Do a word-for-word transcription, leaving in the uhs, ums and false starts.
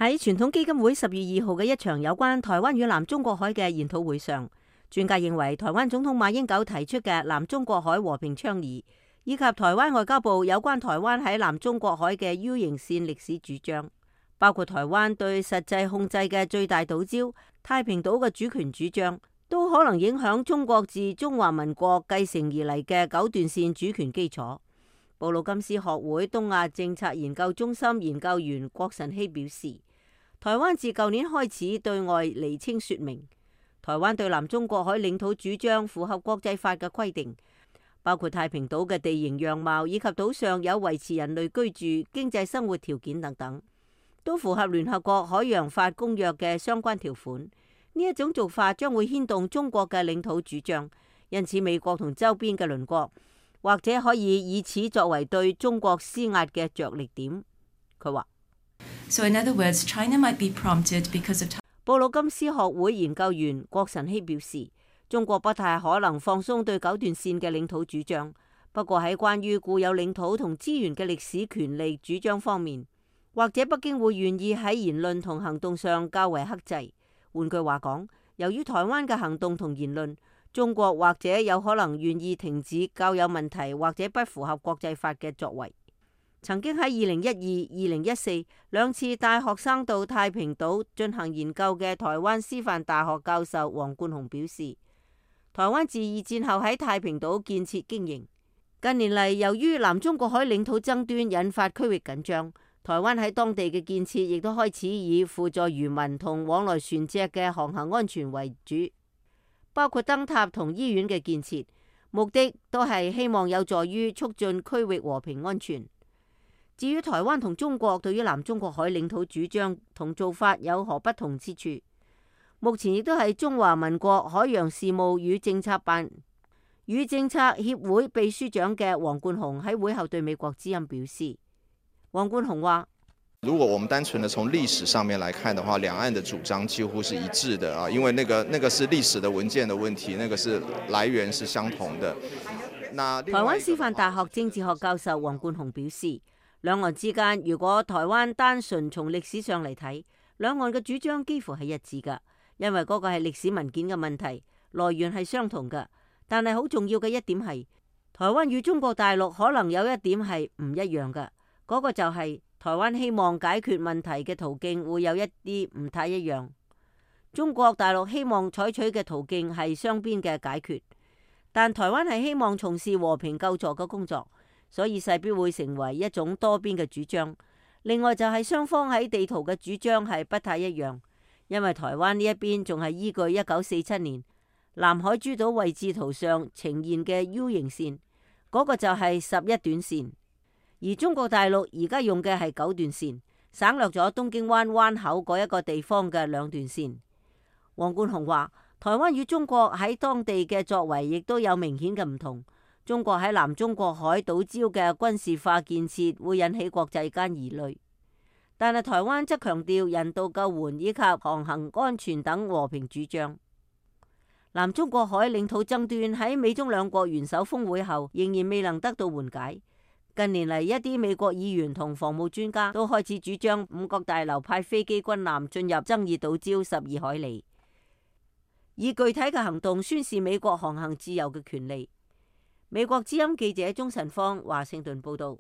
喺傳統基金會十月二號嘅一場有關台灣與南中國海嘅研討會上，專家認為台灣總統馬英九提出嘅南中國海和平倡議，以及台灣外交部有關台灣喺南中國海嘅 U 型線歷史主張，包括台灣對實際控制嘅最大島礁太平島嘅主權主張，都可能影響中國自中華民國繼承而嚟嘅九段線主權基礎。布魯金斯學會東亞政策研究中心研究員郭晨曦表示，台灣自舊年開始對外釐清說明，台灣對南中國海領土主張符合國際法嘅規定，包括太平島嘅地形樣貌以及島上有維持人類居住、經濟生活條件等等，都符合聯合國海洋法公約嘅相關條款。呢一種做法將會牽動中國嘅領土主張，因此美國同周邊嘅鄰國或者可以以此作為對中國施壓嘅着力點。佢話So in other words, China might be prompted because of... 布魯金斯學會研究員郭晨曦表示，中國不太可能放鬆對九段線嘅領土主張，不過喺關於固有領土同資源嘅歷史權利主張方面，或者北京會願意喺言論同行動上較為克制。換句話講，由於台灣嘅行動同言論，中國或者有可能願意停止較有問題或者不符合國際法嘅作為。曾經喺二零一二、二零一四兩次帶學生到太平島進行研究嘅台灣師範大學教授黃冠雄表示，台灣自二戰後喺太平島建設經營，近年嚟由於南中國海領土爭端引發區域緊張，台灣喺當地嘅建設亦都開始以輔助漁民同往來船隻嘅航行安全為主，包括燈塔同醫院嘅建設，目的都係希望有助於促進區域和平安全。至於台灣同中國對於南中國海領土主張同做法有何不同之處，目前亦都係中華民國海洋事務與政策辦與政策協會秘書長嘅黃冠雄喺會後對美國之音表示。黃冠雄話：如果我們單純的從歷史上面來看的話，兩岸的主張幾乎是一致的啊，因為那個那個是歷史的文件的問題，那個是來源是相同的。那台灣師範大學政治學教授黃冠雄表示，兩岸之間如果台灣單純從歷史上嚟睇，兩岸嘅主張幾乎係一致㗎，因為嗰個係歷史文件嘅問題，來源係相同㗎。但係好重要嘅一點係，台灣與中國大陸可能有一點係唔一樣㗎，嗰個就係台灣希望解決問題嘅途徑會有一啲唔太一樣。中國大陸希望採取嘅途徑係雙邊嘅解決，但台灣係希望從事和平救助嘅工作。所以勢必會成為一種多邊嘅主張。另外就係雙方喺地圖嘅主張係不太一樣，因為台灣呢一邊仲係依據一九四七年南海諸島位置圖上呈現嘅 U 型線，嗰個就係十一段線，而中國大陸而家用嘅係九段線，省略咗東京灣灣口嗰一個地方嘅兩段線。黃冠雄話，台灣與中國喺當地嘅作為亦都有明顯嘅唔同。中國喺南中國海島礁嘅軍事化建設會引起國際間疑慮，但係台灣則強調人道救援以及航行安全等和平主張。南中國海領土爭端喺美中兩國元首峰會後仍然未能得到緩解。近年嚟，一啲美國議員同防務專家都開始主張五角大樓派飛機軍艦進入爭議島礁十二海里，以具體嘅行動宣示美國航行自由嘅權利。美國之音記者鍾晨芳華盛頓報道。